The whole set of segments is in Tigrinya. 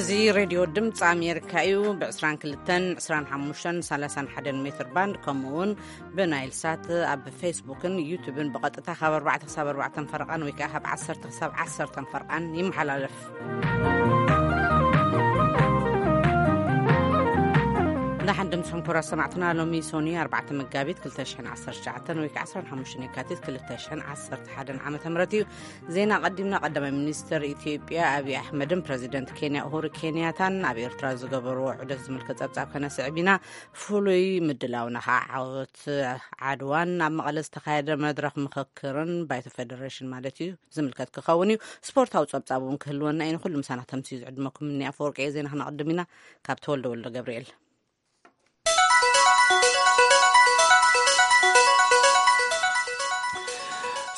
እዚ ሬድዮ ድምፂ ኣሜሪካ እዩ። ብ22፣ 25፣ 31 ሜትር ባንድ፣ ከምኡ እውን ብናይል ሳት፣ ኣብ ፌስቡክን ዩቱብን ብቐጥታ ካብ ኣርባዕተ ክሳብ ኣርባዕተ ፈረቓን ወይ ከዓ ካብ ዓሰርተ ክሳብ ዓሰርተ ፈረቓን ይመሓላለፍ። ደሓን ድምፅኹም ክቡራት ሰማዕትና። ሎሚ ሶኒ ኣርባዕተ መጋቢት ክልተ ሽሕን ዓሰርተ ትሽዓተን ወይ ከዓ ዓሰርተ ሓሙሽተ የካቲት ክልተ ሽሕን ዓሰርተ ሓደን ዓመተ ምህረት እዩ። ዜና ቀዲምና። ቀዳማይ ሚኒስትር ኢትዮጵያ ኣብይ ኣሕመድን ፕረዚደንት ኬንያ ኡሁሩ ኬንያታን ኣብ ኤርትራ ዝገበርዎ ዑደት ዝምልከት ጸብጻብ ከነስዕብ ኢና። ፍሉይ ምድላውና ከዓ ዓወት ዓድዋን ኣብ መቐለ ዝተኻየደ መድረኽ ምኽክርን ባይቶ ፌደሬሽን ማለት እዩ ዝምልከት ክኸውን እዩ። ስፖርታዊ ጸብጻብ እውን ክህልወና እዩ። ንኹሉ ምሳና ተምስዩ ዝዕድመኩም እኒ ኣፈወርቂ እየ። ዜና ክነቕድም ኢና። ካብ ተወልደ ወልደ ገብርኤል።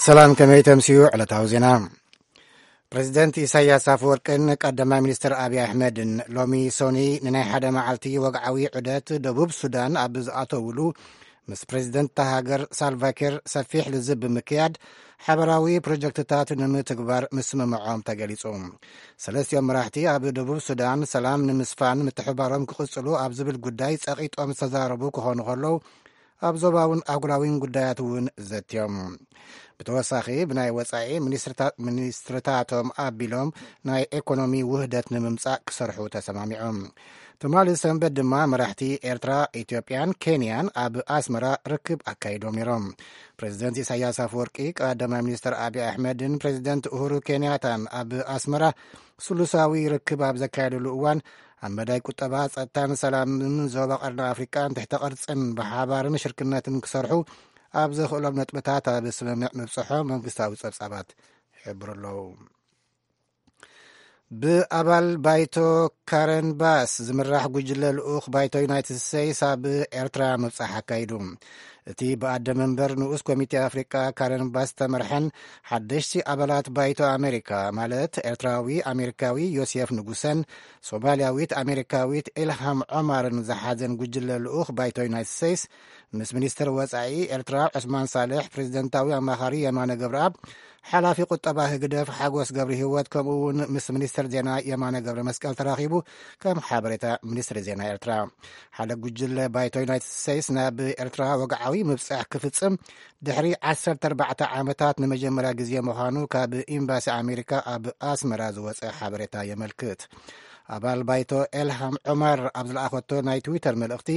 ሰላም፣ ከመይ ተምስዩ ዕለታዊ ዜና? ፕረዚደንት ኢሳያስ ኣፈወርቅን ቀዳማይ ሚኒስትር ኣብይ ኣሕመድን ሎሚ ሶኒ ንናይ ሓደ መዓልቲ ወግዓዊ ዑደት ደቡብ ሱዳን ኣብ ዝኣተውሉ፣ ምስ ፕረዚደንት እታ ሃገር ሳልቫኪር ሰፊሕ ልዝብ ብምክያድ፣ ሓበራዊ ፕሮጀክትታት ንምትግባር ምስምምዖም ተገሊጹ። ሰለስቲኦም መራሕቲ ኣብ ደቡብ ሱዳን ሰላም ንምስፋን ምትሕባሮም ክቕጽሉ ኣብ ዝብል ጉዳይ ጸቒጦም ዝተዛረቡ ክኾኑ ከለዉ፣ ኣብ ዞባውን ኣህጉራዊን ጉዳያት እውን ዘትዮም። ብተወሳኺ፣ ብናይ ወጻኢ ሚኒስትርታ-፣ ሚኒስትርታቶም ኣቢሎም ናይ ኤኮኖሚ ውህደት ንምምጻእ ክሰርሑ ተሰማሚዖም። ትማሊ ሰንበት ድማ መራሕቲ ኤርትራ፣ ኢትዮጵያን ኬንያን ኣብ ኣስመራ ርክብ ኣካይዶም ነይሮም። ፕረዚደንት ኢሳያስ ኣፈወርቂ፣ ቀዳማይ ሚኒስትር ኣብይ ኣሕመድን ፕረዚደንት ኡሁሩ ኬንያታን ኣብ ኣስመራ ስሉሳዊ ርክብ ኣብ ዘካየድሉ እዋን፣ ኣብ መዳይ ቁጠባ፣ ጸጥታን ሰላምን ዞባ ቀርኒ ኣፍሪቃን ትሕተ ቅርጽን ብሓባርን ሽርክነትን ክሰርሑ ኣብ ዘኽእሎም ነጥብታት ኣብ ስምምዕ ምብጽሖ መንግስታዊ ጸብጻባት ይሕብሩ ኣለዉ። ብኣባል ባይቶ ካረን ባስ ዝምራሕ ጉጅለ ልኡኽ ባይቶ ዩናይትድ ስቴትስ ኣብ ኤርትራ ምብጻሕ ኣካይዱ። እቲ ብኣደ መንበር ንኡስ ኮሚቴ ኣፍሪቃ ካረን ባስ ዝተመርሐን ሓደሽቲ ኣባላት ባይቶ ኣሜሪካ፣ ማለት ኤርትራዊ ኣሜሪካዊ ዮሴፍ ንጉሰን ሶማልያዊት ኣሜሪካዊት ኢልሃም ዖማርን ዝሓዘን ጉጅለ ልኡኽ ባይቶ ዩናይትድ ስቴትስ፣ ምስ ሚኒስትር ወጻኢ ኤርትራ ዑስማን ሳልሕ፣ ፕሬዚደንታዊ ኣማኻሪ የማነ ገብረኣብ፣ ሓላፊ ቁጠባ ህግደፍ ሓጎስ ገብረ ህይወት፣ ከምኡ እውን ምስ ሚኒስትር ዜና የማነ ገብረ መስቀል ተራኺቡ፣ ከም ሓበሬታ ሚኒስትሪ ዜና ኤርትራ። ሓደ ጉጅለ ባይቶ ዩናይትድ ስቴትስ ናብ ኤርትራ ወግዓዊ ምብጻሕ ክፍጽም ድሕሪ ዓሰርተ ኣርባዕተ ዓመታት ንመጀመርያ ግዜ ምዃኑ ካብ ኤምባሲ ኣሜሪካ ኣብ ኣስመራ ዝወጸ ሓበሬታ የመልክት። ኣባል ባይቶ ኤልሃም ዑመር ኣብ ዝለኣኸቶ ናይ ትዊተር መልእኽቲ፣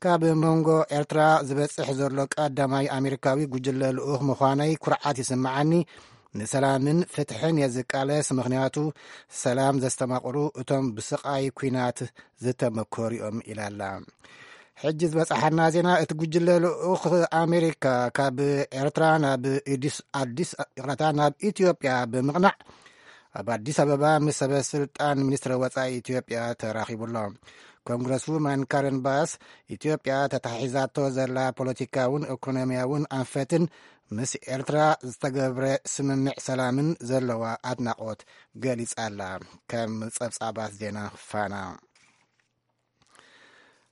ካብ መንጎ ኤርትራ ዝበጽሕ ዘሎ ቀዳማይ ኣሜሪካዊ ጉጅለ ልኡኽ ምዃነይ ኩርዓት ይስምዓኒ። ንሰላምን ፍትሕን እየ ዝቃለስ፣ ምኽንያቱ ሰላም ዘስተማቕሩ እቶም ብስቓይ ኲናት ዝተመኮሩ እዮም፣ ኢላ ኣላ። ሕጂ ዝበጽሓና ዜና፣ እቲ ጉጅለ ልኡኽ ኣሜሪካ ካብ ኤርትራ ናብ ኢዲስ-፣ ኣዲስ፣ ይቕረታ፣ ናብ ኢትዮጵያ ብምቕናዕ፣ ኣብ ኣዲስ ኣበባ ምስ ሰበ ስልጣን ሚኒስትሪ ወጻኢ ኢትዮጵያ ተራኺቡ ኣሎ። ኮንግረስ ውማን ካረን ባስ፣ ኢትዮጵያ ተታሒዛቶ ዘላ ፖለቲካውን ኢኮኖሚያውን ኣንፈትን ምስ ኤርትራ ዝተገብረ ስምምዕ ሰላምን ዘለዋ ኣድናቖት ገሊጻ ኣላ። ከም ጸብጻባት ዜና ፋና።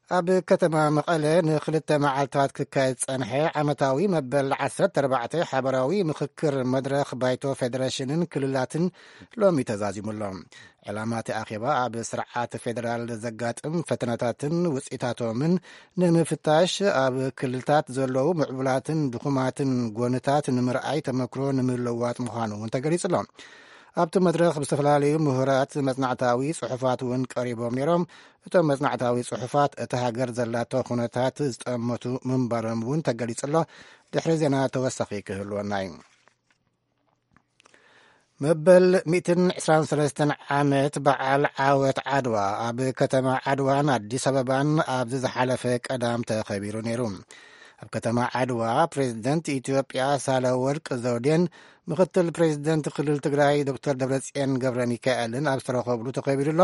ኣብ ከተማ መቐለ ንኽልተ መዓልታት ክካየድ ዝጸንሐ ዓመታዊ መበል ዓሰርተ ኣርባዕተ ሓበራዊ ምኽክር መድረኽ ባይቶ ፌደሬሽንን ክልላትን ሎሚ ተዛዚሙ ኣሎ። ዕላማ እቲ ኣኼባ ኣብ ስርዓት ፌደራል ዘጋጥም ፈተነታትን ውጽኢታቶምን ንምፍታሽ፣ ኣብ ክልልታት ዘለዉ ምዕቡላትን ድኹማትን ጎንታት ንምርኣይ፣ ተመክሮ ንምልውዋጥ ምዃኑ እውን ተገሊጹ ኣሎ። ኣብቲ መድረኽ ብዝተፈላለዩ ምሁራት መጽናዕታዊ ጽሑፋት እውን ቀሪቦም ነይሮም። እቶም መጽናዕታዊ ጽሑፋት እቲ ሃገር ዘላቶ ኩነታት ዝጠመቱ ምንባሮም እውን ተገሊጹ ኣሎ። ድሕሪ ዜና ተወሳኺ ክህልወና እዩ። መበል ሚእትን ዕስራን ሰለስተን ዓመት በዓል ዓወት ዓድዋ ኣብ ከተማ ዓድዋን ኣዲስ ኣበባን ኣብዚ ዝሓለፈ ቀዳም ተኸቢሩ ነይሩ። ኣብ ከተማ ዓድዋ ፕሬዝደንት ኢትዮጵያ ሳህለወርቅ ዘውዴን ምኽትል ፕሬዝደንት ክልል ትግራይ ዶክተር ደብረጽዮን ገብረ ሚካኤልን ኣብ ዝተረኸብሉ ተኸቢሩ ኣሎ።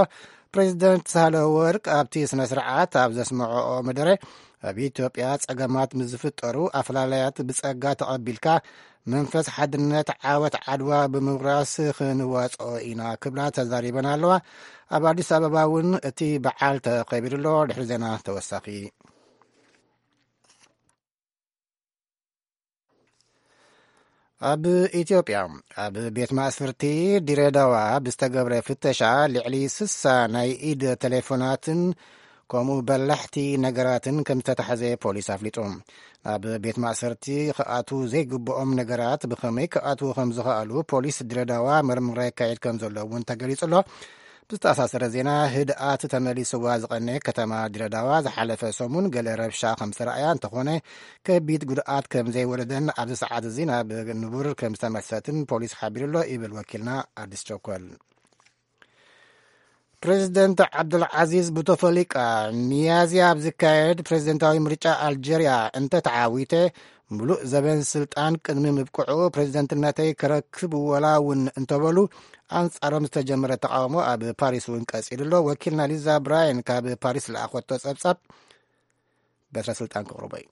ፕሬዝደንት ሳህለወርቅ ኣብቲ ስነ ስርዓት ኣብ ዘስምዐኦ መደረ፣ ኣብ ኢትዮጵያ ጸገማት ምስ ዝፍጠሩ ኣፈላላያት ብጸጋ ተቐቢልካ መንፈስ ሓድነት ዓወት ዓድዋ ብምውራስ ክንዋጽኦ ኢና ክብላ ተዛሪበን ኣለዋ። ኣብ ኣዲስ ኣበባ እውን እቲ በዓል ተኸቢሩ ኣሎ። ድሕሪ ዜና ተወሳኺ። ኣብ ኢትዮጵያ፣ ኣብ ቤት ማእስርቲ ድሬዳዋ ብዝተገብረ ፍተሻ ልዕሊ ስሳ ናይ ኢድ ቴሌፎናትን ከምኡ በላሕቲ ነገራትን ከም ዝተታሕዘ ፖሊስ ኣፍሊጡ። ናብ ቤት ማእሰርቲ ክኣትዉ ዘይግብኦም ነገራት ብኸመይ ክኣትዉ ከም ዝኸኣሉ ፖሊስ ድሬዳዋ ምርምራ የካየድ ከም ዘሎ እውን ተገሊጹ ኣሎ። ብዝተኣሳሰረ ዜና፣ ህድኣት ተመሊስዋ ዝቐነ ከተማ ድሬዳዋ ዝሓለፈ ሰሙን ገለ ረብሻ ከም ዝተረኣያ እንተኾነ፣ ከቢድ ጉድኣት ከም ዘይወረደን ኣብዚ ሰዓት እዚ ናብ ንቡር ከም ዝተመልሰትን ፖሊስ ሓቢሩ ኣሎ ይብል ወኪልና ኣዲስ ቸኮል። ፕሬዚደንት ዓብዱልዓዚዝ ቡተፈሊቃ ሚያዝያ ኣብ ዝካየድ ፕሬዚደንታዊ ምርጫ ኣልጀርያ እንተተዓዊተ፣ ምሉእ ዘበን ስልጣን ቅድሚ ምብቅዑ ፕሬዚደንትነተይ ክረክብ ወላ እውን እንተበሉ፣ ኣንጻሮም ዝተጀመረ ተቃውሞ ኣብ ፓሪስ እውን ቀጺሉ ኣሎ። ወኪልና ሊዛ ብራያን ካብ ፓሪስ ለኣኸቶ ጸብጻብ በትረ ስልጣን ክቕርቦ እዩ።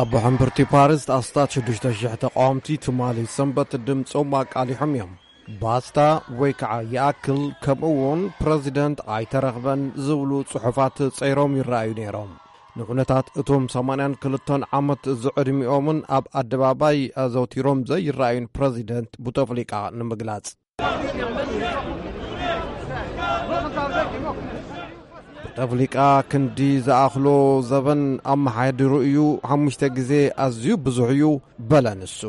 ኣብ ሕምብርቲ ፓሪስ ኣስታት ሽዱሽተ ሽሕ ተቃወምቲ ትማሊ ሰንበት ድምጾም ኣቃሊሖም እዮም። ባስታ ወይ ከዓ ይኣክል፣ ከምኡ እውን ፕረዚደንት ኣይተረኽበን ዝብሉ ጽሑፋት ጸይሮም ይረኣዩ ነይሮም። ንኩነታት እቶም ሰማንያን ክልተን ዓመት ዝዕድሚኦምን ኣብ ኣደባባይ ኣዘውቲሮም ዘይረኣዩን ፕረዚደንት ቡተፍሊቃ ንምግላጽ። ቡተፍሊቃ ክንዲ ዝኣኽሎ ዘበን ኣመሓዲሩ እዩ፣ ሓሙሽተ ግዜ ኣዝዩ ብዙሕ እዩ በለ ንሱ።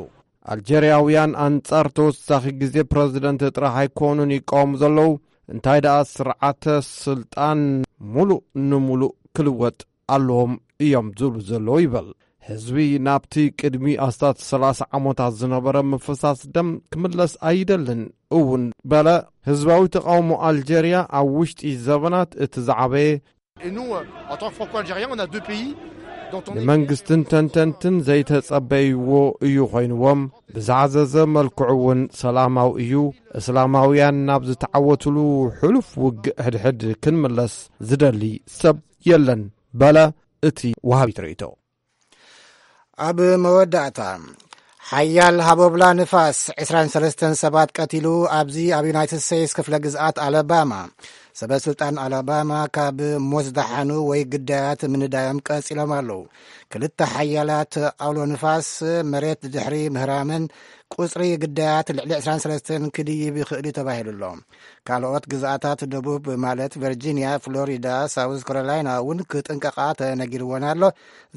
ኣልጀርያውያን ኣንጻር ተወሳኺ ግዜ ፕረዚደንት ጥራሕ ኣይኮኑን ይቃወሙ ዘለዉ፣ እንታይ ደኣ ስርዓተ ስልጣን ሙሉእ ንሙሉእ ክልወጥ ኣለዎም እዮም ዝብሉ ዘለዉ ይበል። ህዝቢ ናብቲ ቅድሚ ኣስታት ሰላሳ ዓመታት ዝነበረ ምፍሳስ ደም ክምለስ ኣይደልን እውን በለ። ህዝባዊ ተቃውሞ ኣልጀርያ ኣብ ውሽጢ ዘበናት እቲ ዝዓበየ Et nous, euh, en tant que Franco-Algériens, on a deux pays dont on est... ንመንግስትን ተንተንትን ዘይተጸበይዎ እዩ ኮይንዎም። ብዝዓዘዘ መልክዑ እውን ሰላማዊ እዩ። እስላማውያን ናብ ዝተዓወትሉ ሕሉፍ ውግእ ሕድሕድ ክንምለስ ዝደሊ ሰብ የለን በለ እቲ ወሃቢ ትርኢቶ። ኣብ መወዳእታ፣ ሓያል ሃቦብላ ንፋስ ዕስራን ሰለስተን ሰባት ቀቲሉ፣ ኣብዚ ኣብ ዩናይትድ ስቴትስ ክፍለ ግዝኣት ኣላባማ። ሰበ ስልጣን ኣላባማ ካብ ሞት ዝደሓኑ ወይ ግዳያት ምንዳዮም ቀጺሎም ኣለዉ። ክልተ ሓያላት ኣውሎ ንፋስ መሬት ድሕሪ ምህራመን፣ ቁጽሪ ግዳያት ልዕሊ ዕስራን ሰለስተን ክድይብ ይኽእል እዩ ተባሂሉ ኣሎ። ካልኦት ግዝኣታት ደቡብ ማለት ቨርጂንያ፣ ፍሎሪዳ፣ ሳውዝ ካሮላይና እውን ክጥንቀቓ ተነጊርወን ኣሎ።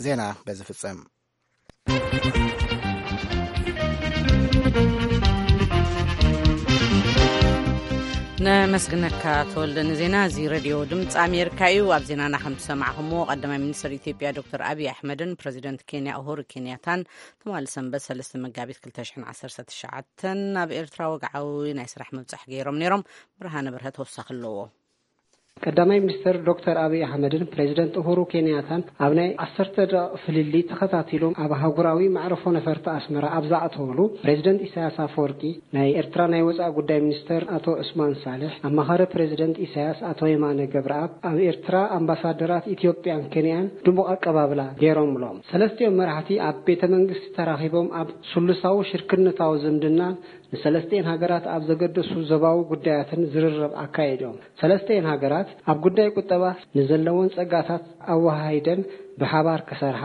ዜና በዚ ፍጸም። ነመስግነካ ተወልደ ንዜና። እዚ ሬድዮ ድምፂ ኣሜሪካ እዩ። ኣብ ዜናና ከም ዝሰማዕኹምዎ፣ ቀዳማይ ሚኒስትር ኢትዮጵያ ዶክተር ኣብይ ኣሕመድን ፕረዚደንት ኬንያ ኡሁሩ ኬንያታን ትማሊ ሰንበት ሰለስተ መጋቢት ክልተ ሽሕን ዓሰርተ ትሽዓተን ኣብ ኤርትራ ወግዓዊ ናይ ስራሕ ምብጻሕ ገይሮም ነይሮም። ብርሃነ ብርሀ ተወሳኺ ኣለዎ። ቀዳማይ ሚኒስትር ዶክተር ኣብይ ኣሕመድን ፕሬዚደንት ኡሁሩ ኬንያታን ኣብ ናይ ዓሰርተ ደቂቕ ፍልልይ ተኸታቲሎም ኣብ ኣህጉራዊ መዕርፎ ነፈርቲ ኣስመራ ኣብ ዝኣተወሉ፣ ፕሬዚደንት ኢሳያስ ኣፈወርቂ፣ ናይ ኤርትራ ናይ ወጻኢ ጉዳይ ሚኒስትር ኣቶ ዑስማን ሳልሕ፣ ኣማኻሪ ፕሬዚደንት ኢሳያስ ኣቶ የማነ ገብረኣብ፣ ኣብ ኤርትራ ኣምባሳደራት ኢትዮጵያን ኬንያን ድሙቕ ኣቀባብላ ገይሮምሎም። ሰለስቲኦም መራሕቲ ኣብ ቤተ መንግስቲ ተራኺቦም ኣብ ስሉሳዊ ሽርክነታዊ ዝምድናን ንሰለስቲኤን ሃገራት ኣብ ዘገደሱ ዞባዊ ጉዳያትን ዝርርብ ኣካይዶም። ሰለስቲኤን ሃገራት ኣብ ጉዳይ ቁጠባ ንዘለወን ጸጋታት ኣወሃሂደን ብሓባር ክሰርሓ፣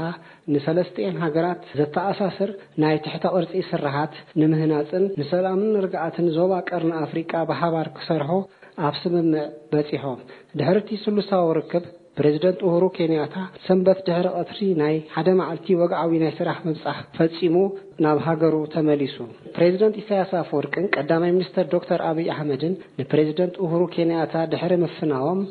ንሰለስቲኤን ሃገራት ዘተኣሳስር ናይ ትሕተ ቅርጺ ስርሓት ንምህናጽን ንሰላምን ርግኣትን ዞባ ቀርኒ ኣፍሪቃ ብሓባር ክሰርሑ ኣብ ስምምዕ በጺሖም። ድሕሪ እቲ ስሉሳዊ ርክብ፣ ፕሬዚደንት ኡሁሩ ኬንያታ ሰንበት ድሕሪ ቀትሪ ናይ ሓደ መዓልቲ ወግዓዊ ናይ ስራሕ ምብጻሕ ፈጺሙ ናብ ሃገሩ ተመሊሱ። ፕሬዚደንት ኢሳያስ ኣፈወርቅን ቀዳማይ ሚኒስተር ዶክተር ኣብይ ኣሕመድን ንፕሬዚደንት ኡሁሩ ኬንያታ ድሕሪ ምፍናዎም፣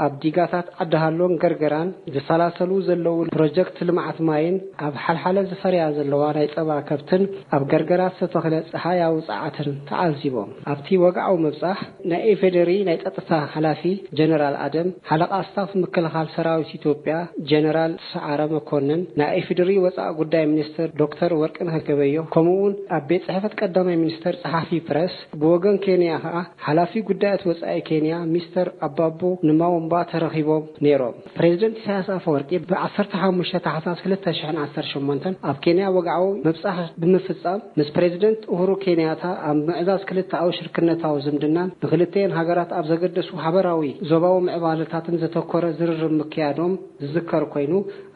ኣብ ዲጋታት ዓዲ ሃሎን ገርገራን ዝሰላሰሉ ዘለዉ ፕሮጀክት ልምዓት ማይን ኣብ ሓልሓለ ዝፈርያ ዘለዋ ናይ ጸባ ከብትን ኣብ ገርገራ ዝተተኽለ ጸሓያዊ ጸዓትን ተዓዚቦም። ኣብቲ ወግዓዊ ምብጻሕ፣ ናይ ኢፌዴሪ ናይ ጸጥታ ሓላፊ ጀነራል ኣደም፣ ሓለቓ ስታፍ ምክልኻል ሰራዊት ኢትዮጵያ ጀነራል ሰዓረ መኮንን፣ ናይ ኢፌዴሪ ወጻኢ ጉዳይ ሚኒስትር ዶክተር ወርቅነህ ገበየሁ፣ ከምኡ'ውን ኣብ ቤት ጽሕፈት ቀዳማይ ሚኒስትር ጸሓፊ ፕረስ፣ ብወገን ኬንያ ከኣ ሓላፊ ጉዳያት ወጻኢ ኬንያ ሚስተር ኣባቡ ንማዎም ባ ተረኺቦም ነይሮም። ፕሬዚደንት ኢሳያስ ኣፈወርቂ ብ15 ታሕሳስ 2018 ኣብ ኬንያ ወግዓዊ ምብጻሕ ብምፍጻም፣ ምስ ፕሬዚደንት ኡሁሩ ኬንያታ ኣብ ምዕዛዝ ክልተኣዊ ሽርክነታዊ ዝምድናን ንክልተየን ሃገራት ኣብ ዘገደሱ ሃበራዊ ዞባዊ ምዕባለታትን ዘተኮረ ዝርርብ ምክያዶም ዝዝከር ኮይኑ፣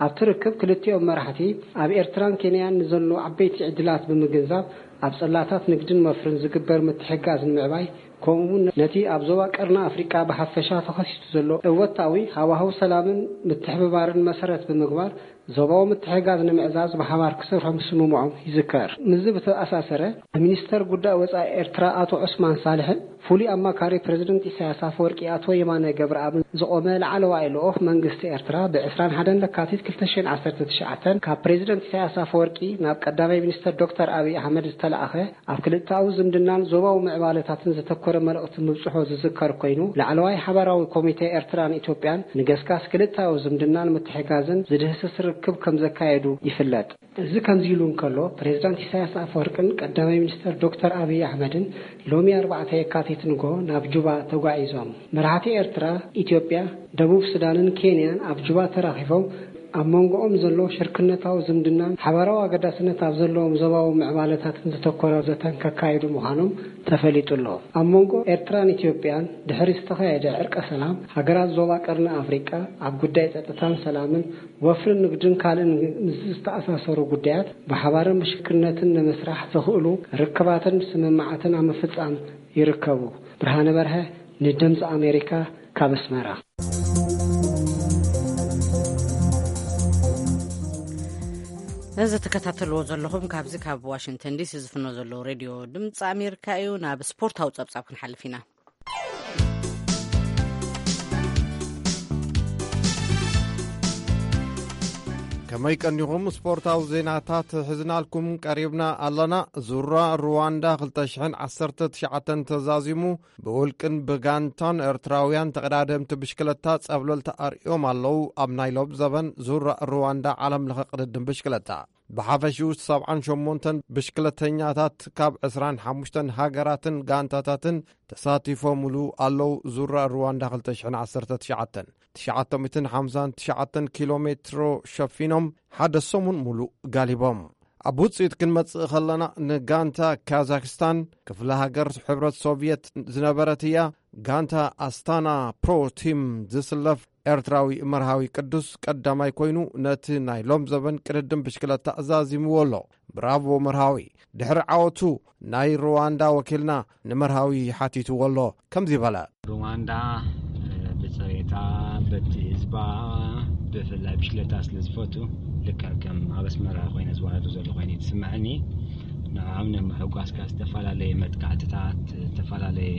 ኣብቲ ርክብ ክልቲኦም መራሕቲ ኣብ ኤርትራን ኬንያን ንዘሎ ዓበይቲ ዕድላት ብምግንዛብ፣ ኣብ ጽላታት ንግድን ወፍርን ዝግበር ምትሕግጋዝ ንምዕባይ፣ ከምኡ እውን ነቲ ኣብ ዞባ ቀርኒ ኣፍሪቃ ብሓፈሻ ተኸሲቱ ዘሎ እወታዊ ሃዋህው ሰላምን ምትሕብባርን መሰረት ብምግባር፣ ዞባዊ ምትሕግጋዝ ንምዕዛዝ ብሓባር ክሰርሑ ምስምምዖም ይዝከር። ምስዚ ብተኣሳሰረ፣ ሚኒስተር ጉዳይ ወጻኢ ኤርትራ ኣቶ ዑስማን ሳልሕን ፍሉይ ኣማካሪ ፕሬዚደንት ኢሳያስ ኣፈወርቂ ኣቶ የማነ ገብረኣብን ዝቖመ ላዕለዋይ ልኡኽ መንግስቲ ኤርትራ ብ21 ለካቲት 2019 ካብ ፕሬዚደንት ኢሳያስ ኣፈወርቂ ናብ ቀዳማይ ሚኒስተር ዶክተር ኣብይ ኣሕመድ ዝተላእኸ ኣብ ክልተኣዊ ዝምድናን ዞባዊ ምዕባለታትን ዘተኮረ መልእኽቲ ምብጽሖ ዝዝከር ኮይኑ፣ ላዕለዋይ ሓባራዊ ኮሚቴ ኤርትራን ኢትዮጵያን ንገስጋስ ክልተኣዊ ዝምድናን ምትሕጋዝን ዝድህስስ ርክብ ከም ዘካየዱ ይፍለጥ። እዚ ከምዚ ኢሉ እንከሎ፣ ፕሬዚዳንት ኢሳያስ ኣፈወርቅን ቀዳማይ ሚኒስተር ዶክተር ኣብይ ኣሕመድን ሎሚ ኣርባዕተ የካቲት ንግሆ ናብ ጁባ ተጓዒዞም። መራሕቲ ኤርትራ፣ ኢትዮጵያ፣ ደቡብ ሱዳንን ኬንያን ኣብ ጁባ ተራኺቦም ኣብ መንጎኦም ዘሎ ሽርክነታዊ ዝምድናን ሓባራዊ ኣገዳስነት ኣብ ዘለዎም ዞባዊ ምዕባለታትን ዘተኮረ ዘተን ከካይዱ ምዃኖም ተፈሊጡ ኣሎ። ኣብ መንጎ ኤርትራን ኢትዮጵያን ድሕሪ ዝተኻየደ ዕርቀ ሰላም፣ ሃገራት ዞባ ቀርኒ ኣፍሪቃ ኣብ ጉዳይ ጸጥታን ሰላምን፣ ወፍርን ንግድን ካልእን ምስ ዝተኣሳሰሩ ጉዳያት ብሓባርን ብሽርክነትን ንምስራሕ ዘኽእሉ ርክባትን ስምምዓትን ኣብ ምፍጻም ይርከቡ። ብርሃነ በርሀ ንድምፂ ኣሜሪካ ካብ ኣስመራ። እዚ ትከታተልዎ ዘለኹም ካብዚ ካብ ዋሽንግተን ዲሲ ዝፍኖ ዘለዉ ሬድዮ ድምፂ ኣሜሪካ እዩ። ናብ ስፖርታዊ ጸብጻብ ክንሓልፍ ኢና። ከመይ ቀኒኹም? ስፖርታዊ ዜናታት ሒዝናልኩም ቀሪብና ኣለና። ዙራ ሩዋንዳ 2019 ተዛዚሙ። ብውልቅን ብጋንታን ኤርትራውያን ተቐዳደምቲ ብሽክለታ ጸብለልታ ኣርእዮም ኣለዉ። ኣብ ናይ ሎም ዘበን ዙራ ሩዋንዳ ዓለም ለኸ ቅድድም ብሽክለታ፣ ብሓፈሽኡ 78 ብሽክለተኛታት ካብ 25 ሃገራትን ጋንታታትን ተሳቲፎምሉ ኣለዉ። ዙራ ሩዋንዳ 2019፣ 959 ኪሎ ሜትሮ ሸፊኖም ሓደ ሰሙን ሙሉእ ጋሊቦም። ኣብ ውጽኢት ክንመጽእ ከለና፣ ንጋንታ ካዛክስታን ክፍለ ሃገር ሕብረት ሶቭየት ዝነበረት እያ። ጋንታ ኣስታና ፕሮ ቲም ዝስለፍ ኤርትራዊ መርሃዊ ቅዱስ ቀዳማይ ኮይኑ፣ ነቲ ናይ ሎም ዘበን ቅድድም ብሽክለታ ዛዚምዎ ኣሎ። ብራቮ መርሃዊ። ድሕሪ ዓወቱ ናይ ሩዋንዳ ወኪልና ንመርሃዊ ሓቲትዎ ኣሎ። ከምዚ በለ። ሩዋንዳ፣ እ፣ ብጽሬታ፣ በቲ ህዝባ፣ ብፍላይ ብሽክለታ ስለ ዝፈቱ፣ ልክዕ ከም ኣብ ኣስመራ ኮይነ ዝዋረዱ ዘሎ ኮይኑ እዩ ዝስምዐኒ። ንዕኦም ንምሕጓስ ካብ ዝተፈላለየ መጥቃዕትታት፣ ዝተፈላለየ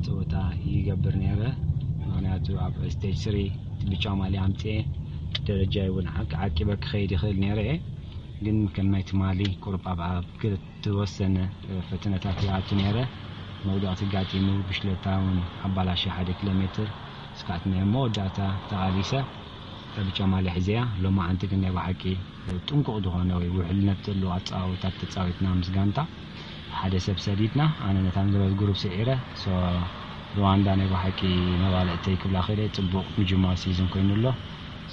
ጸወታ ይገብር ነይረ። ምኽንያቱ ኣብ ስቴጅ ስሪ ብጫ ማልያ ኣምጽኤ ደረጃ እውን ዓቂ-፣ ዓቂበ ክኸይድ ይኽእል ነይረ እየ። ግን ከም ናይ ትማሊ ቁሩብ ኣብ፣ ኣብ ዝተወሰነ ፈተነታት ይኣቱ ነይረ። መውደቕቲ ጋጢሙ ብሽክለታ እውን ኣባላሸ ሓደ ኪሎ ሜትር። እስካት ናይ መወዳእታ ተቓሊሰ ብጫ ማልያ ሒዘያ። ሎማዓንቲ ግን ናይ ብሓቂ ጥንቁቕ ዝኾነ ወይ ውሕልነት ዘለዎ ኣጸዋውታት ተጻዊትና ምስ ጋንታ። ሓደ ሰብ ሰዲድና፣ ኣነ ነታ ንዝበለት ግሩፕ ስዒረ። ሶ፣ ሩዋንዳ ናይ ብሓቂ መባልዕተይ ክብላ ክእለ፣ ጽቡቕ ምጅማር ሲዝን ኮይኑ ኣሎ።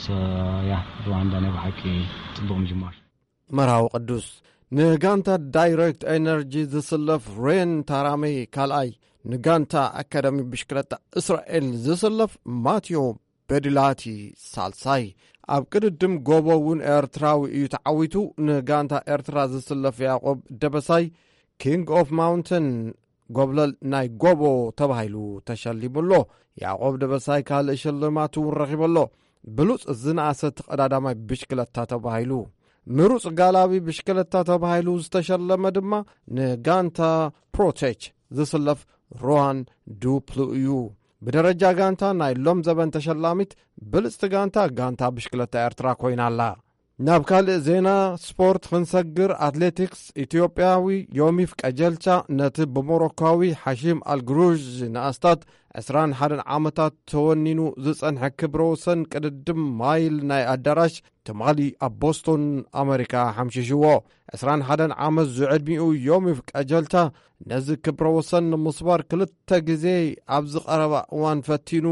ሶ፣ ያ፣ ሩዋንዳ ናይ ብሓቂ ጽቡቕ ምጅማር። መርሃዊ ቅዱስ። ንጋንታ ዳይሬክት ኤነርጂ ዝስለፍ ሬን ታራሜ ካልኣይ፣ ንጋንታ ኣካዳሚ ብሽክለታ እስራኤል ዝስለፍ ማቴዎ በድላቲ ሳልሳይ። ኣብ ቅድድም ጎቦ እውን ኤርትራዊ እዩ ተዓዊቱ። ንጋንታ ኤርትራ ዝስለፍ ያዕቆብ ደበሳይ ኪንግ ኦፍ ማውንተን ጎብለል ናይ ጎቦ ተባሂሉ ተሸሊሙ ኣሎ። ያዕቆብ ደበሳይ ካልእ ሽልማት እውን ረኺቡ ኣሎ። ብሉጽ ዝነኣሰ ተቐዳዳማይ ብሽክለታ ተባሂሉ። ምሩጽ ጋላቢ ብሽክለታ ተባሂሉ ዝተሸለመ ድማ ንጋንታ ፕሮቴች ዝስለፍ ሮሃን ዱፕሉ እዩ። ብደረጃ ጋንታ ናይ ሎም ዘበን ተሸላሚት ብልጽቲ ጋንታ፣ ጋንታ ብሽክለታ ኤርትራ ኮይና ኣላ። ናብ ካልእ ዜና ስፖርት ክንሰግር፣ ኣትሌቲክስ ኢትዮጵያዊ ዮሚፍ ቀጀልቻ ነቲ ብሞሮካዊ ሓሺም ኣልግሩዥ ንኣስታት 21 ዓመታት ተወኒኑ ዝጸንሐ ክብረ ወሰን ቅድድም ማይል ናይ ኣዳራሽ ትማሊ ኣብ ቦስቶን ኣመሪካ ሓምሺሽዎ። ዕስራን ሓደን ዓመት ዝዕድሚኡ ዮሚፍ ቀጀልታ ነዚ ክብረ ወሰን ንምስባር ክልተ ግዜ ኣብ ዝቐረባ እዋን ፈቲኑ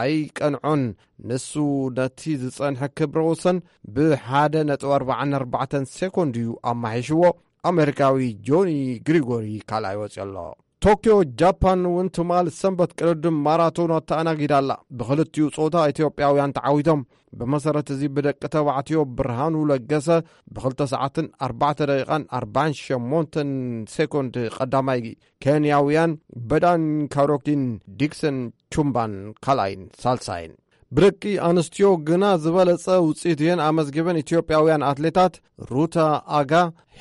ኣይቀንዖን። ንሱ ነቲ ዝጸንሐ ክብረ ወሰን ብ ሓደ ነጥቢ ኣርባዓን ኣርባዕተን ሴኮንድ እዩ ኣማሒሽዎ። ኣሜሪካዊ ጆኒ ግሪጎሪ ካልኣይ ወጺኡ ኣሎ። ቶክዮ ጃፓን እውን ትማል ሰንበት ቅድድም ማራቶን ኣተኣናጊዳ ኣላ። ብክልቲኡ ጾታ ኢትዮጵያውያን ተዓዊቶም። ብመሰረት እዚ ብደቂ ተባዕትዮ ብርሃኑ ለገሰ ብክልተ ሰዓትን ኣርባዕተ ደቂቓን ኣርባዓን ሸሞንተን ሴኮንድ ቀዳማይ፣ ኬንያውያን በዳን ካሮኪን፣ ዲክሰን ቹምባን ካልኣይን ሳልሳይን። ብደቂ ኣንስትዮ ግና ዝበለጸ ውጽኢት እየን ኣመዝጊበን። ኢትዮጵያውያን ኣትሌታት ሩታ ኣጋ፣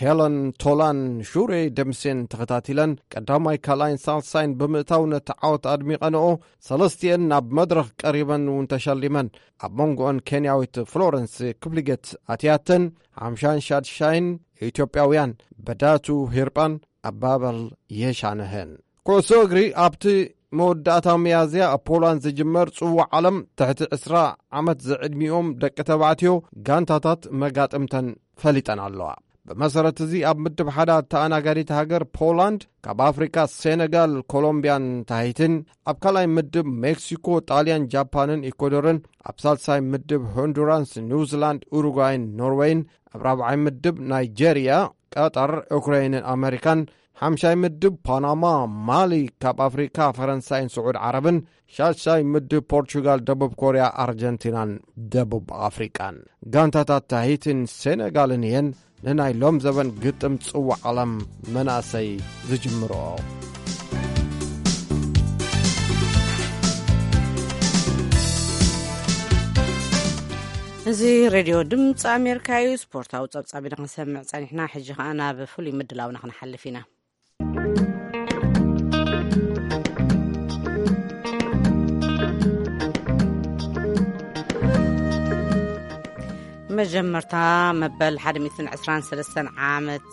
ሄለን ቶላን ሹሬ ደምሴን ተኸታቲለን ቀዳማይ፣ ካልኣይን ሳልሳይን ብምእታው ነቲ ዓወት ኣድሚቐንኦ። ሰለስቲኤን ናብ መድረኽ ቀሪበን እውን ተሸሊመን። ኣብ መንጎኦን ኬንያዊት ፍሎረንስ ክፕሊገት ኣትያተን ሓምሻን ሻድሻይን፣ ኢትዮጵያውያን በዳቱ ሂርጳን ኣባበል የሻነህን። ኩዕሶ እግሪ ኣብቲ መወዳእታ ሚያዝያ ኣብ ፖላንድ ዝጅመር ጽዋዕ ዓለም ትሕቲ ዕስራ ዓመት ዝዕድሚኦም ደቂ ተባዕትዮ ጋንታታት መጋጥምተን ፈሊጠን ኣለዋ። ብመሰረት እዚ ኣብ ምድብ ሓደ ኣተኣናጋዲት ሃገር ፖላንድ ካብ ኣፍሪቃ ሴነጋል፣ ኮሎምቢያን ታሂትን፣ ኣብ ካልኣይ ምድብ ሜክሲኮ፣ ጣልያን፣ ጃፓንን ኢኳዶርን፣ ኣብ ሳልሳይ ምድብ ሆንዱራስ፣ ኒውዚላንድ፣ ኡሩጓይን ኖርዌይን፣ ኣብ ራብዓይ ምድብ ናይጄርያ፣ ቀጠር፣ ዩክሬይንን ኣመሪካን፣ ሓምሻይ ምድብ ፓናማ፣ ማሊ፣ ካብ ኣፍሪካ ፈረንሳይን ስዑድ ዓረብን፣ ሻድሻይ ምድብ ፖርቹጋል፣ ደቡብ ኮርያ፣ ኣርጀንቲናን ደቡብ ኣፍሪቃን። ጋንታታት ታሂትን ሴነጋልን እየን ንናይ ሎም ዘበን ግጥም ጽዋዕ ዓለም መናእሰይ ዝጅምርኦ። እዚ ሬድዮ ድምፂ ኣሜሪካ እዩ። ስፖርታዊ ጸብጻብ ኢና ክንሰምዕ ጸኒሕና። ሕጂ ኸኣ ናብ ፍሉይ ምድላውና ክንሓልፍ ኢና። መጀመርታ መበል ሓደ ሚእትን ዕስራን ሰለስተን ዓመት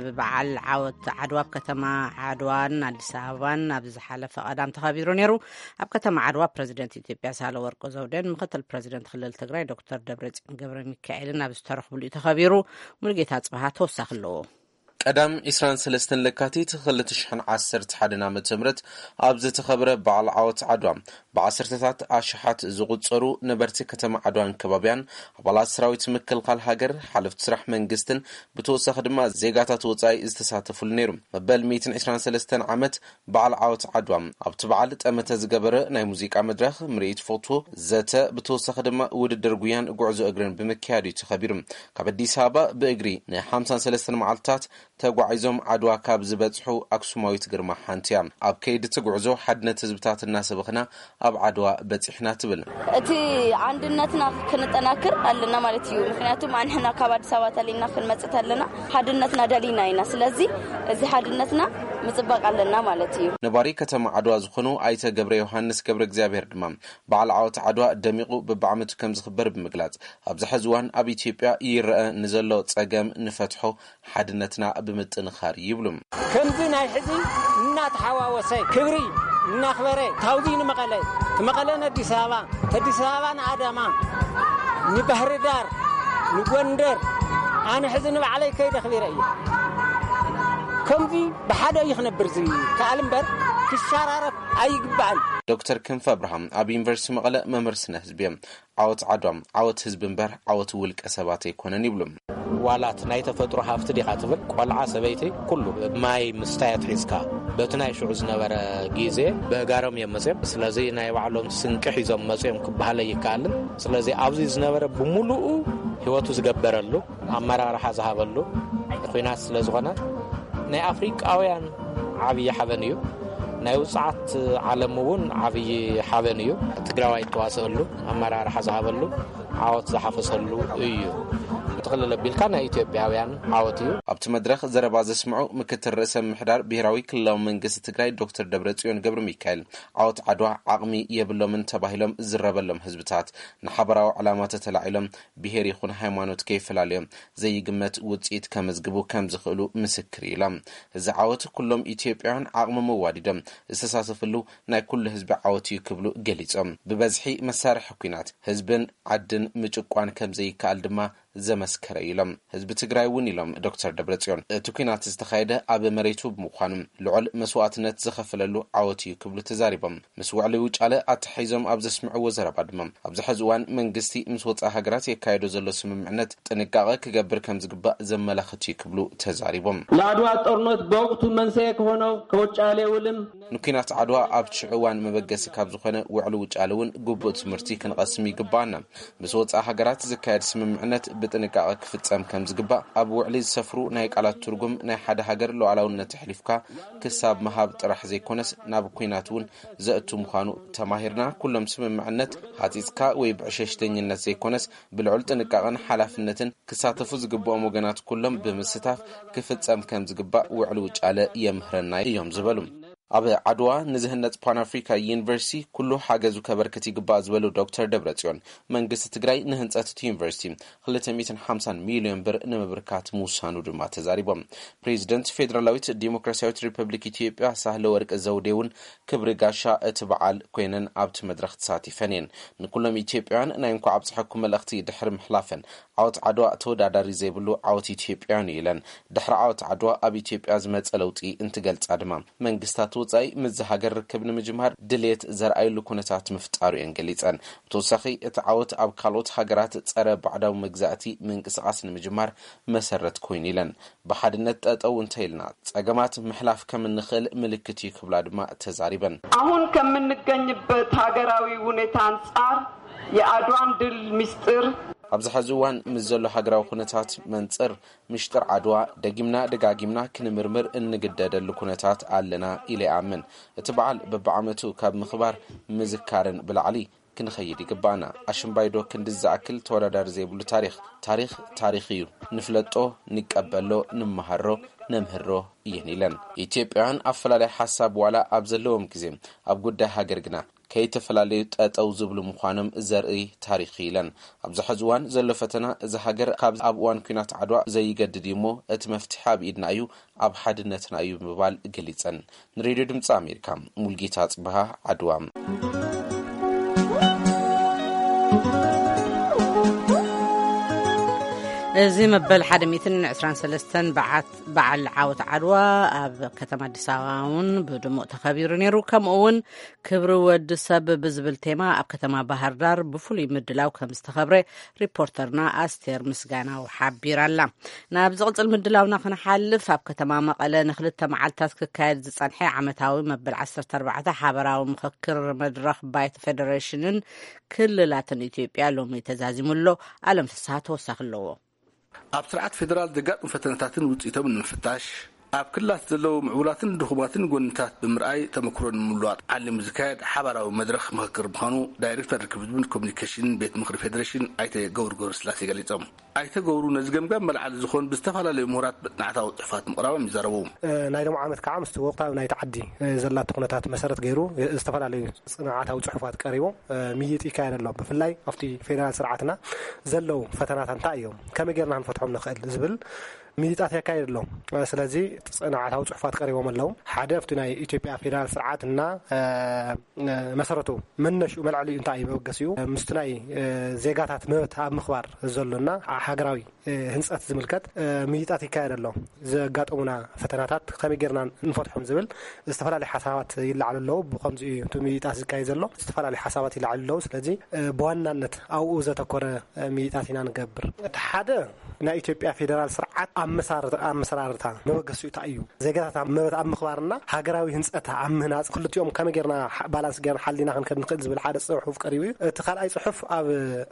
ብበዓል ዓወት ዓድዋ ኣብ ከተማ ዓድዋን ኣዲስ ኣበባን ኣብ ዝሓለፈ ቀዳም ተኸቢሩ ነይሩ። ኣብ ከተማ ዓድዋ ፕረዚደንት ኢትዮጵያ ሳህለወርቅ ዘውዴን ምክትል ፕረዚደንት ክልል ትግራይ ዶክተር ደብረጽዮን ገብረ ሚካኤልን ኣብ ዝተረኽብሉ እዩ ተኸቢሩ። ሙሉጌታ ጽብሃ ተወሳኺ ኣለዎ። ቀዳም ዕስራን ሰለስተን ለካቲት ክልተ ሽሕን ዓሰርተ ሓደን ዓመተ ምህረት ኣብ ዝተኸብረ በዓል ዓወት ዓድዋ ብዓሰርተታት ኣሽሓት ዝቑጸሩ ነበርቲ ከተማ ዓድዋን ከባቢያን፣ ኣባላት ሰራዊት ምክልኻል ሃገር፣ ሓለፍቲ ስራሕ መንግስትን ብተወሳኺ ድማ ዜጋታት ወጻኢ ዝተሳተፉሉ ነይሩ። መበል ሚእትን ዕስራን ሰለስተን ዓመት በዓል ዓወት ዓድዋ ኣብቲ በዓል ጠመተ ዝገበረ ናይ ሙዚቃ መድረኽ፣ ምርኢት ፎቶ፣ ዘተ፣ ብተወሳኺ ድማ ውድድር ጉያን ጉዕዞ እግርን ብምክያድ እዩ ተኸቢሩ። ካብ ኣዲስ ኣበባ ብእግሪ ንሓምሳን ሰለስተን መዓልትታት ተጓዒዞም ዓድዋ ካብ ዝበጽሑ ኣክሱማዊት ግርማ ሓንቲ እያ። ኣብ ከይዲ እቲ ጉዕዞ ሓድነት ህዝብታት እናሰበኽና ኣብ ዓድዋ በጺሕና ትብል። እቲ ኣንድነትና ክንጠናክር ኣለና ማለት እዩ። ምክንያቱ ኣንሕና ካብ ኣዲስ ኣበባ ተሊና ክንመጽእ ተለና ሓድነትና ደሊና ኢና። ስለዚ እዚ ሓድነትና ምጽባቕ ኣለና ማለት እዩ። ነባሪ ከተማ ዓድዋ ዝኾኑ ኣይተ ገብረ ዮሃንስ ገብረ እግዚኣብሔር ድማ በዓል ዓወት ዓድዋ ደሚቑ በብዓመቱ ከም ዝኽበር ብምግላጽ፣ ኣብዚ ሕዚ እዋን ኣብ ኢትዮጵያ ይረአ ንዘሎ ጸገም ንፈትሖ ሓድነትና ብምጥንኻር ይብሉ። ከምዚ ናይ ሕዚ እናተሓዋወሰ ክብሪ እናኽበረ ታውዚ ንመቐለ፣ ትመቐለ ንኣዲስ ኣበባ፣ ተዲስ ኣበባ ንኣዳማ፣ ንባህሪ ዳር፣ ንጎንደር፣ ኣነ ሕዚ ንባዕለይ ከይደ ኣኽቢረ እየ። ከምዚ ብሓደ እዩ ክነብር ዝከኣል እምበር ክሸራረፍ ኣይግባእን። ዶክተር ክንፈ ኣብርሃም ኣብ ዩኒቨርሲቲ መቐለ መምህር ስነ ህዝቢ እዮም። ዓወት ዓድዋ ዓወት ህዝቢ እምበር ዓወት ውልቀ ሰባት ኣይኮነን ይብሉ። ዋላት ናይ ተፈጥሮ ሃፍቲ ዲኻ ትብል፣ ቆልዓ ሰበይቲ ኩሉ ማይ ምስታይ ኣትሒዝካ በቲ ናይ ሽዑ ዝነበረ ግዜ ብእጋሮም እዮም መፅዮም። ስለዚ ናይ ባዕሎም ስንቂ ሒዞም መፅዮም ክበሃለ ይከኣልን። ስለዚ ኣብዚ ዝነበረ ብምሉኡ ህይወቱ ዝገበረሉ ኣመራርሓ ዝሃበሉ ኲናት ስለ ዝኾነ ናይ ኣፍሪቃውያን ዓብዪ ሓበን እዩ። ናይ ውፅዓት ዓለም እውን ዓብዪ ሓበን እዩ። ትግራዋይ እተዋሰአሉ ኣመራርሓ ዝሃበሉ ዓወት ዝሓፈሰሉ እዩ። ጥቕልል ኣቢልካ ናይ ኢትዮጵያውያን ዓወት እዩ። ኣብቲ መድረኽ ዘረባ ዘስምዑ ምክትል ርእሰ ምምሕዳር ብሄራዊ ክልላዊ መንግስቲ ትግራይ ዶክተር ደብረጽዮን ገብረ ሚካኤል፣ ዓወት ዓድዋ ዓቕሚ የብሎምን ተባሂሎም ዝዝረበሎም ህዝብታት ንሓበራዊ ዕላማ ተተላዒሎም ብሄር ይኹን ሃይማኖት ከይፈላለዮም ዘይግመት ውፅኢት ከመዝግቡ ከም ዝኽእሉ ምስክር ኢሎም። እዚ ዓወት ኩሎም ኢትዮጵያውያን ዓቕሞም ኣዋዲዶም ዝተሳተፍሉ ናይ ኩሉ ህዝቢ ዓወት እዩ ክብሉ ገሊጾም። ብበዝሒ መሳርሒ ኲናት ህዝብን ዓድን ምጭቋን ከም ዘይከኣል ድማ ዘመስከረ እዩ ኢሎም። ህዝቢ ትግራይ እውን ኢሎም ዶክተር ደብረጽዮን፣ እቲ ኲናት ዝተኻየደ ኣብ መሬቱ ብምዃኑ ልዑል መስዋእትነት ዝኸፈለሉ ዓወት እዩ ክብሉ ተዛሪቦም። ምስ ውዕሊ ውጫለ ኣተሓሒዞም ኣብ ዘስምዕዎ ዘረባ ድማ፣ ኣብዚ ሕዚ እዋን መንግስቲ ምስ ወፃኢ ሃገራት የካየዶ ዘሎ ስምምዕነት ጥንቃቐ ክገብር ከም ዝግባእ ዘመላኽት እዩ ክብሉ ተዛሪቦም። ለአድዋ ጦርነት በወቅቱ መንስኤ ከሆነው ከውጫሌ ውልም ንኲናት ዓድዋ ኣብቲ ሽዑ እዋን መበገሲ ካብ ዝኾነ ውዕሊ ውጫለ እውን ግቡእ ትምህርቲ ክንቐስም ይግባኣና። ምስ ወፃኢ ሃገራት ዝካየድ ስምምዕነት ብጥንቃቐ ክፍፀም ከም ዝግባእ፣ ኣብ ውዕሊ ዝሰፍሩ ናይ ቃላት ትርጉም ናይ ሓደ ሃገር ሉዓላውነት ኣሕሊፍካ ክሳብ ምሃብ ጥራሕ ዘይኮነስ ናብ ኲናት እውን ዘእቱ ምዃኑ ተማሂርና፣ ኩሎም ስምምዕነት ሃፂፅካ ወይ ብዕሸሽተኝነት ዘይኮነስ ብልዑል ጥንቃቐን ሓላፍነትን ክሳተፉ ዝግብኦም ወገናት ኩሎም ብምስታፍ ክፍፀም ከም ዝግባእ ውዕሊ ውጫለ የምህረና እዮም ዝበሉ። ኣብ ዓድዋ ንዝህነፅ ፓን ኣፍሪካ ዩኒቨርሲቲ ኩሉ ሓገዙ ከበርክት ይግባእ ዝበሉ ዶክተር ደብረጽዮን፣ መንግስቲ ትግራይ ንህንፀት እቲ ዩኒቨርሲቲ ክልተ ሚእትን ሓምሳን ሚልዮን ብር ንምብርካት ምውሳኑ ድማ ተዛሪቦም። ፕሬዚደንት ፌዴራላዊት ዲሞክራሲያዊት ሪፐብሊክ ኢትዮጵያ ሳህለ ወርቅ ዘውዴ እውን ክብሪ ጋሻ እቲ በዓል ኮይነን ኣብቲ መድረኽ ተሳቲፈን እየን። ንኩሎም ኢትዮጵያውያን ናይ እንኳዕ ኣብፀሐኩም መልእኽቲ ድሕሪ ምሕላፈን፣ ዓወት ዓድዋ ተወዳዳሪ ዘይብሉ ዓወት ኢትዮጵያውያን እዩ ኢለን። ድሕሪ ዓወት ዓድዋ ኣብ ኢትዮጵያ ዝመፀ ለውጢ እንትገልፃ ድማ፣ መንግስታት ወፃኢ ምስዚ ሃገር ርክብ ንምጅማር ድልየት ዘርኣየሉ ኩነታት ምፍጣሩ እየን ገሊፀን። ብተወሳኺ እቲ ዓወት ኣብ ካልኦት ሃገራት ፀረ ባዕዳዊ መግዛእቲ ምንቅስቓስ ንምጅማር መሰረት ኮይኑ ኢለን። ብሓድነት ጠጠው እንተኢልና ፀገማት ምሕላፍ ከም እንኽእል ምልክት እዩ ክብላ ድማ ተዛሪበን። አሁን ከምንገኝበት ሀገራዊ ሁኔታ አንጻር የአድዋን ድል ምስጢር ኣብዚ ሕዚ እዋን ምስ ዘሎ ሃገራዊ ኩነታት መንፅር፣ ምሽጥር ዓድዋ ደጊምና ደጋጊምና ክንምርምር እንግደደሉ ኩነታት ኣለና ኢለ ይኣምን። እቲ በዓል በብዓመቱ ካብ ምኽባር ምዝካርን ብላዕሊ ክንኸይድ ይግባና። ኣሽምባይዶ ክንዲ ዝኣክል ተወዳዳሪ ዘይብሉ ታሪኽ፣ ታሪኽ ታሪኽ እዩ። ንፍለጦ፣ ንቀበሎ፣ ንመሃሮ፣ ነምህሮ እየን ኢለን። ኢትዮጵያውያን ኣፈላላይ ሓሳብ ዋላ ኣብ ዘለዎም ግዜ፣ ኣብ ጉዳይ ሃገር ግና ከይተፈላለዩ ጠጠው ዝብሉ ምዃኖም ዘርኢ ታሪኽ ኢለን። ኣብዚ ሕዚ እዋን ዘሎ ፈተና፣ እዚ ሃገር ካብ ኣብ እዋን ኲናት ዓድዋ ዘይገድድ እዩ እሞ፣ እቲ መፍትሒ ኣብ ኢድና እዩ፣ ኣብ ሓድነትና እዩ ምባል ገሊጸን። ንሬድዮ ድምፂ ኣሜሪካ፣ ሙልጌታ ጽብሃ፣ ዓድዋ። እዚ መበል ሓደ ሚእትን ዕስራን ሰለስተን በዓት በዓል ዓወት ዓድዋ ኣብ ከተማ ኣዲስ ኣበባ እውን ብድሙቕ ተኸቢሩ ነይሩ። ከምኡ እውን ክብሪ ወዲ ሰብ ብዝብል ቴማ ኣብ ከተማ ባህር ዳር ብፍሉይ ምድላው ከም ዝተኸብረ ሪፖርተርና ኣስቴር ምስጋናው ሓቢራ ኣላ። ናብ ዝቕጽል ምድላውና ክንሓልፍ፣ ኣብ ከተማ መቐለ ንክልተ መዓልታት ክካየድ ዝጸንሐ ዓመታዊ መበል ዓሰርተ ኣርባዕተ ሓበራዊ ምኽክር መድረኽ ባይቶ ፌደሬሽንን ክልላትን ኢትዮጵያ ሎሚ ተዛዚሙ ኣሎ። ኣለም ፍስሃ ተወሳኺ ኣለዎ። ኣብ ስርዓት ፌደራል ዘጋጥሙ ፈተነታትን ውፅኢቶም ንምፍታሽ፣ ኣብ ክልላት ዘለዉ ምዕቡላትን ድኹማትን ጎንታት ብምርኣይ ተመክሮ ንምልዋጥ ዓሊሙ ዝካየድ ሓባራዊ መድረኽ ምኽክር ምዃኑ ዳይሬክተር ርክብ ህዝብን ኮሚኒኬሽንን ቤት ምኽሪ ፌዴሬሽን ኣይተ ገብሩ ገብረስላሴ ገሊጾም። ኣይተ ገብሩ ነዚ ገምጋም መልዓሊ ዝኾን ብዝተፈላለዩ ምሁራት መጽናዕታዊ ጽሑፋት ምቕራቦም ይዛረቡ። ናይ ሎም ዓመት ከዓ ምስቲ ወቕታዊ ናይቲ ዓዲ ዘላቶ ኩነታት መሰረት ገይሩ ዝተፈላለዩ ጽንዓታዊ ጽሑፋት ቀሪቡ ምይይጥ ይካየድ ኣሎ። ብፍላይ ኣብቲ ፌደራል ስርዓትና ዘለዉ ፈተናታት እንታይ እዮም፣ ከመይ ጌርና ክንፈትሖም ንኽእል ዝብል ምይይጣት የካየድ ኣሎ። ስለዚ ጽንዓታዊ ጽሑፋት ቀሪቦም ኣለዉ። ሓደ ኣብቲ ናይ ኢትዮጵያ ፌደራል ስርዓት እና መሰረቱ መነሽኡ መልዕሊኡ እንታይ እዩ መበገሲኡ ምስቲ ናይ ዜጋታት መብት ኣብ ምኽባር ዘሎና ሃገራዊ ህንፀት ዝምልከት ምይይጣት ይካየድ ኣሎ። ዘጋጠሙና ፈተናታት ከመይ ጌርና ንፈትሖም ዝብል ዝተፈላለዩ ሓሳባት ይለዓሉ ኣለዉ። ብኸምዚ እዩ እቲ ምይይጣት ዝካየድ ዘሎ። ዝተፈላለዩ ሓሳባት ይለዓሉ ኣለዉ። ስለዚ ብዋናነት ኣብኡ ዘተኮረ ምይይጣት ኢና ንገብር። እቲ ሓደ ናይ ኢትዮጵያ ፌደራል ስርዓት ኣመሳር- ኣመሰራርታ መበገሲኡ እንታይ እዩ? ዜጋታት ኣብ መብት ኣብ ምኽባርና ሃገራዊ ህንፀት ኣብ ምህናፅ ክልቲኦም ከመይ ጌርና ሓ- ባላንስ ጌርና ሓሊና ክንከድ ንኽእል ዝብል ሓደ ፅሑፍ ቀሪቡ እዩ። እቲ ካልኣይ ፅሑፍ ኣብ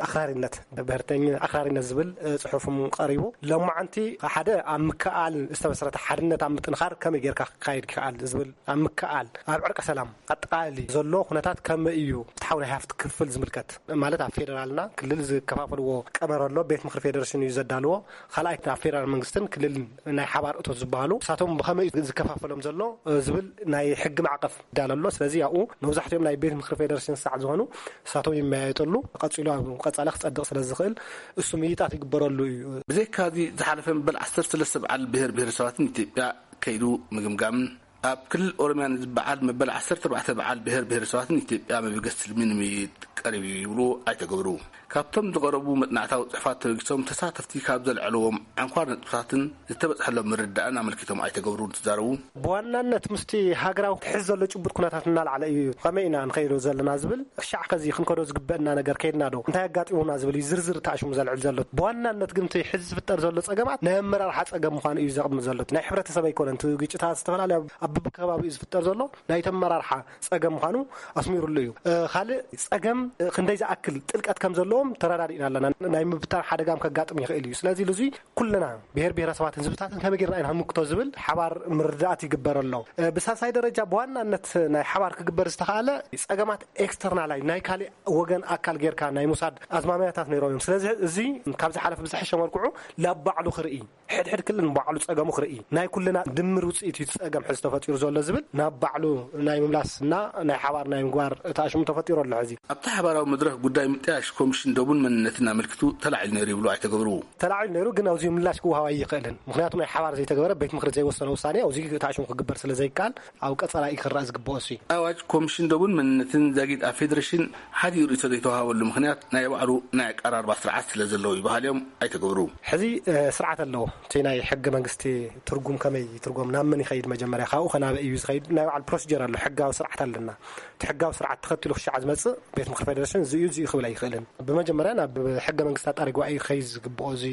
ኣኽራሪነት ብሄርተኝ ኣኽራሪነት ዝብል እ፣ ፅሑፍም ቀሪቡ። ሎማዓንቲ ሓደ ኣብ ምክኣል ዝተመስረተ ሓድነት ኣብ ምጥንኻር ከመይ ጌርካ ክካየድ ይከኣል ዝብል ኣብ ምክኣል ኣብ ዕርቀ ሰላም ኣጠቃሊ ዘሎ ኩነታት ከመይ እዩ ፍትሓዊ ናይ ሃፍቲ ክፍፍል ዝምልከት ማለት ኣብ ፌደራልና ክልል ዝከፋፈልዎ ቀመር ኣሎ። ቤት ምኽሪ ፌደሬሽን እዩ ዘዳልዎ። ካልኣይ ኣብ ፌደራል መንግስትን ክልልን ናይ ሓባር እቶት ዝበሃሉ እሳቶም ብኸመይ እዩ ዝከፋፈሎም ዘሎ እ፣ ዝብል ናይ ሕጊ ማዕቀፍ ይዳሎ ኣሎ። ስለዚ ኣብኡ መብዛሕትኦም ናይ ቤት ምኽሪ ፌደሬሽን ሳዕ ዝኾኑ እሳቶም ይመያየጠሉ። ቀፂሉ ኣብ ቀፃሊ ክፀድቕ ስለ ዝኽእል እሱ ምይይጣት ይግበረሉ እዩ። ብዘይካዚ ዝሓለፈ መበል ዓሰርተ ሰለስተ በዓል ብሄር ብሄረሰባትን ኢትዮጵያ ከይዱ ምግምጋምን ኣብ ክልል ኦሮሚያ ንዝበዓል መበል ዓሰርተ ኣርባዕተ በዓል ብሄር ብሄረሰባትን ኢትዮጵያ መበገሲ ትልሚ ንምይይጥ ቀሪቡ እዩ ይብሉ ኣይተ ገብሩ። ካብቶም ዝቐረቡ መጽናዕታዊ ጽሑፋት ተበጊሶም ተሳተፍቲ ካብ ዘልዐልዎም ኣንኳር ነጥብታትን ዝተበጽሐሎም ምርዳእን ኣመልኪቶም ኣይተ ገብሩ እንትዛረቡ፣ ብዋናነት ምስቲ ሃገራዊ ክሕዝ ዘሎ ጭቡጥ ኩነታት እናልዓለ እዩ። ከመይ ኢና ንኸይዶ ዘለና ዝብል፣ ክሻዕ ከዚ ክንከዶ ዝግበአና ነገር ከይድና ዶ፣ እንታይ ኣጋጢሙና ዝብል እዩ ዝርዝር ተኣሽሙ ዘልዕል ዘሎ። ብዋናነት ግን እቲ ሕዚ ዝፍጠር ዘሎ ጸገማት ናይ ኣመራርሓ ጸገም ምዃኑ እዩ ዘቕምጥ ዘሎ። ናይ ሕብረተሰብ ኣይኮነን። እቲ ግጭታት ዝተፈላለዩ ኣብ፣ ኣብ በብከባቢኡ ዝፍጠር ዘሎ ናይ ተመራርሓ ጸገም ምዃኑ ኣስሚሩሉ እዩ። እ፣ ካልእ ጸገም፣ እ፣ ክንደይ ዝኣክል ጥልቀት ከም ዘለዎም ተረዳዲእና ኣለና። ናይ ምብታን ሓደጋ ከጋጥም ይኽእል እዩ። ስለዚ ልዙይ ኩልና ብሔር ብሔረሰባትን ህዝብታትን ከመይ ጌርና ኢና ክንምክቶ ዝብል ሓባር ምርዳእት ይግበር ኣሎ። እ፣ ብሳልሳይ ደረጃ ብዋናነት ናይ ሓባር ክግበር ዝተኻእለ ጸገማት ኤክስተርናላይ ናይ ካልእ ወገን ኣካል ጌርካ ናይ ምውሳድ ኣዝማሚያታት ነይሮም እዮም። ስለዚ እዚ ካብ ዝሓለፈ ብዝሐሸ መልክዑ ናብ ባዕሉ ክርኢ፣ ሕድሕድ ክልል ንባዕሉ ጸገሙ ክርኢ፣ ናይ ኩልና ድምር ውጽኢት እዩ እቲ ጸገም ሕዚ ተፈጢሩ ዘሎ ዝብል ናብ ባዕሉ ናይ ምምላስ እና ናይ ሓባር ናይ ምግባር እቲ ኣሽሙ ተፈጢሩ ኣሎ። ሕዚ ኣብቲ ሓባራዊ መድረኽ ጉዳይ ምጥያሽ ኮሚሽን ደቡን መንነትን ኣመልኪቱ ተላዒሉ ነይሩ ይብሉ ኣይተ ገብሩ። ተላዒሉ ነይሩ፣ ግን ኣብዚ ምላሽ ክወሃብ ኣይኽእልን። ምኽንያቱ ናይ ሓባር ዘይተገበረ፣ ቤት ምኽሪ ዘይወሰነ ውሳኔ ኣብዚ እቲ ኣሽሙ ክግበር ስለ ዘይከኣል ኣብ ቀጸላ እዩ ክረኣ ዝግብኦ እሱ። ኣዋጅ ኮሚሽን ደቡን መንነትን ዛጊድ ኣብ ፌደሬሽን ሓዲኡ ርእይቶ ዘይተዋሃበሉ ምኽንያት ናይ ባዕሉ ናይ ኣቀራርባ ስርዓት ስለ ዘለዎ ይበሃል እዮም ኣይተ ገብሩ። ሕዚ፣ እ፣ ስርዓት ኣለዎ። እቲ ናይ ሕገ መንግስቲ ትርጉም ከመይ ይትርጎም፣ ናብ መን ይኸይድ፣ መጀመርያ ካብኡ ከናበይ እዩ ዝኸይድ፣ ናይ ባዕሉ ፕሮሲጀር ኣሎ። ሕጋዊ ስርዓት ኣለና። እቲ ሕጋዊ ስርዓት ተኸቲሉ ክሻዕ ዝመጽእ ቤት ምኽሪ ፌደሬሽን እዚ እዩ፣ እዚ እዩ ክብል ኣይኽእልን። ብመጀመርያ ናብ ሕገ መንግስቲ ኣጣሪ ጉባኤ እዩ ክኸይድ ዝግብኦ፣ እዚ፣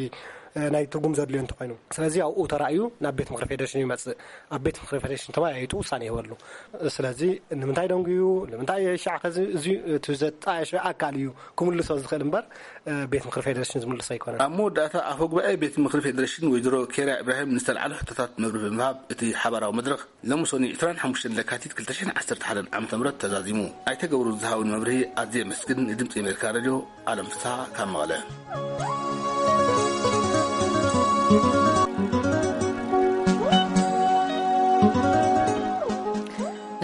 እ፣ ናይ ትርጉም ዘድልዮ እንተኾይኑ። ስለዚ ኣብኡ ተራእዩ ናብ ቤት ምኽሪ ፌደሬሽን ይመጽእ። ኣብ ቤት ምኽሪ ፌደሬሽን ተወያይጡ ውሳኔ ይህበሉ። ስለዚ ንምንታይ ደንጉዩ፣ ንምንታይ ሻዕ ከዚ፣ እዚ እቲ ዘጣየሸ ኣካል እዩ ክምልሶ ዝኽእል እምበር፣ እ፣ ቤት ምኽሪ ፌደሬሽን ዝምልሶ ኣይኮነን። ኣብ መወዳእታ ኣፈ ጉባኤ ቤት ምኽሪ ፌደሬሽን ወይዘሮ ኬርያ ኢብራሂም ንዝተልዓሉ ሕቶታት መብርሂ ብምሃብ፣ እቲ ሓባራዊ መድረኽ ሎሚ ሰኑይ ዕስራን ሓሙሽተን ለካቲት ክልተ ሽሕን ዓሰርተ ሓደን ዓመተ ምህረት ተዛዚሙ። ኣይተ ገብሩ ዝሃቡን መብርሂ ኣዝየ የመስግን። ንድምፂ ኣሜሪካ ሬድዮ ኣለም ፍስሃ ካብ መቐለ።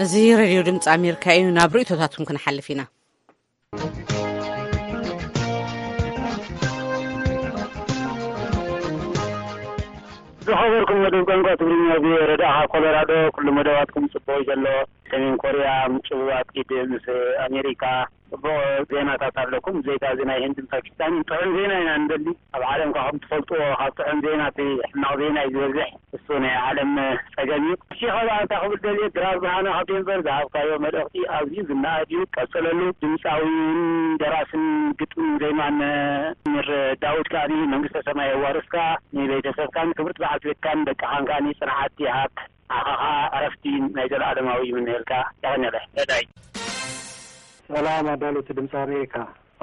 እዚ ሬድዮ ድምፂ ኣሜሪካ እዩ። ናብ ርእይቶታትኩም ክንሓልፍ ኢና። ዝኸበርኩም መደብ ቋንቋ ትግርኛ ቪኦኤ ረዳኻ ኮሎራዶ፣ ኩሉ መደባትኩም ጽቡቕ እዩ ዘሎ። ሰሜን ኮርያ ምጭብባጥ ኢድ ምስ ኣሜሪካ ጽቡቕ ዜናታት ኣለኩም። ብዘይካ እዚ ናይ ህንድን ፓኪስታንን ጥዑም ዜና ኢና ንደሊ። ኣብ ዓለም ካብ ትፈልጥዎ ካብ ጥዑም ዜና እቲ ሕማቕ ዜና እዩ ዝበዝሕ። እሱ ናይ ዓለም ጸገም እዩ። እሺ፣ ካብ ኣንታ ክብል ደልየ፣ ድራር ብርሃነ ካብ ዴንቨር ዝሃብካዮ መልእኽቲ ኣዝዩ ዝነኣድ እዩ። ቀጽለሉ። ድምጻዊን ደራስን ግጥምን ዜማን መምህር ዳዊት ከኣ መንግስተ ሰማይ የዋርስካ። ንቤተሰብካን ክብርቲ በዓልቲ ቤትካን ደቅኻን ከኣ ጽንዓት ይሃብ። ንዓኻ ከኣ ዕረፍቲ ናይ ዘለኣለማዊ ይምነየልካ። የቐንየለ። ረዳይ። ሰላም ኣዳለውቲ ድምፂ ኣሜሪካ።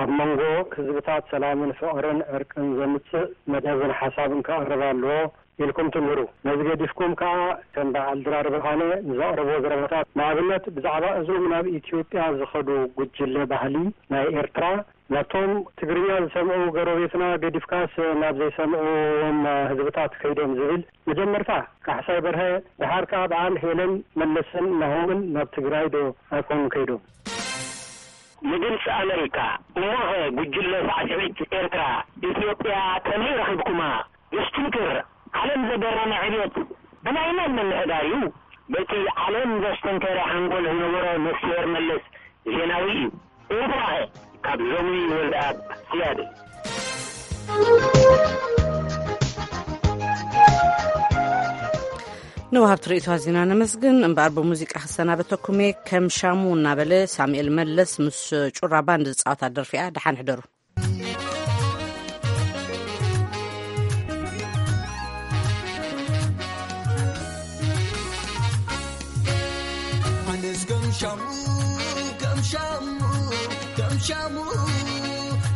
ኣብ መንጎ ህዝብታት ሰላምን ፍቕርን ዕርቅን ዘምፅእ መደብን ሓሳብን ክቐርብ ኣለዎ ኢልኩም ትምህሩ። ነዚ ገዲፍኩም ከኣ ከም በዓል ድራር ብርሃነ ንዘቕርቦ ዘረባታት፣ ንኣብነት ብዛዕባ እዞም ናብ ኢትዮጵያ ዝኸዱ ጉጅለ ባህሊ ናይ ኤርትራ፣ ናብቶም ትግርኛ ዝሰምዑ ጎረቤትና ገዲፍካስ ናብ ዘይሰምዕዎም ህዝብታት ከይዶም ዝብል፣ መጀመርታ ካሕሳይ በርሀ፣ ደሓር ከኣ በዓል ሄለን መለስን ናሆምን ናብ ትግራይ ዶ ኣይኮኑን ከይዶም? ንድምፂ ኣመሪካ፣ እሞኸ ጉጅለ ሳዕስዒት ኤርትራ ኢትዮጵያ ከመይ ረኺብኩማ? ዘሽክርክር ዓለም ዘገረመ ዕብየት ብናይ መን ምምሕዳር እዩ? በቲ ዓለም ዘስተንከረ ሓንጎል ዝነበሮ ነፍስሄር መለስ ዜናዊ እዩ። ኤርትራኸ? ካብ ዞሚ ወልደኣብ ስያደ። ንወሃብቲ ርእይቶ ኣዚና ነመስግን። እምበኣር ብሙዚቃ ክሰናበተኩም እየ። ከም ሻሙ እናበለ ሳሙኤል መለስ ምስ ጩራ ባንድ ዝጻወታ ደርፊ እያ። ደሓን ሕደሩ። ኣነስ ከም ሻሙ፣ ከም ሻሙ፣ ከም ሻሙ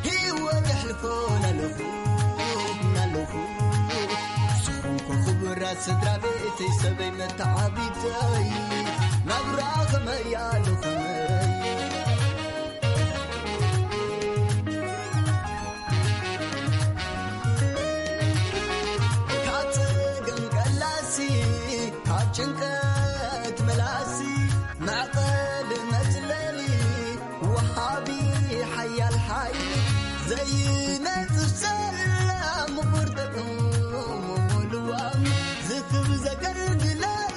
ህይወት የሕልፎ ናለኹ፣ ናለኹ። ዝኾንኩ ክቡራት ስድራ ቤተይ፣ ሰበይ መተዓቢተይ፣ ናብራ ከመይ ኣሎ ከመይ። ካብ ጸገም ቀላሲ፣ ካብ ጭንቀት መላሲ፣ መዕቀሊ መጽለሊ፣ ወሃቢ ሓያል ሓይሊ፣ ዘይነጽፍ ሰላም ምቑር ጥዑም ልዋም፣ ዝክብ ዘገልግለይ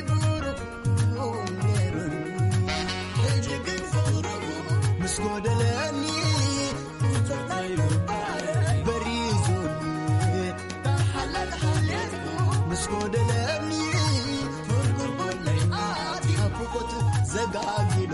ብሩኽ ነይሩኒ። ዘጋጊሎ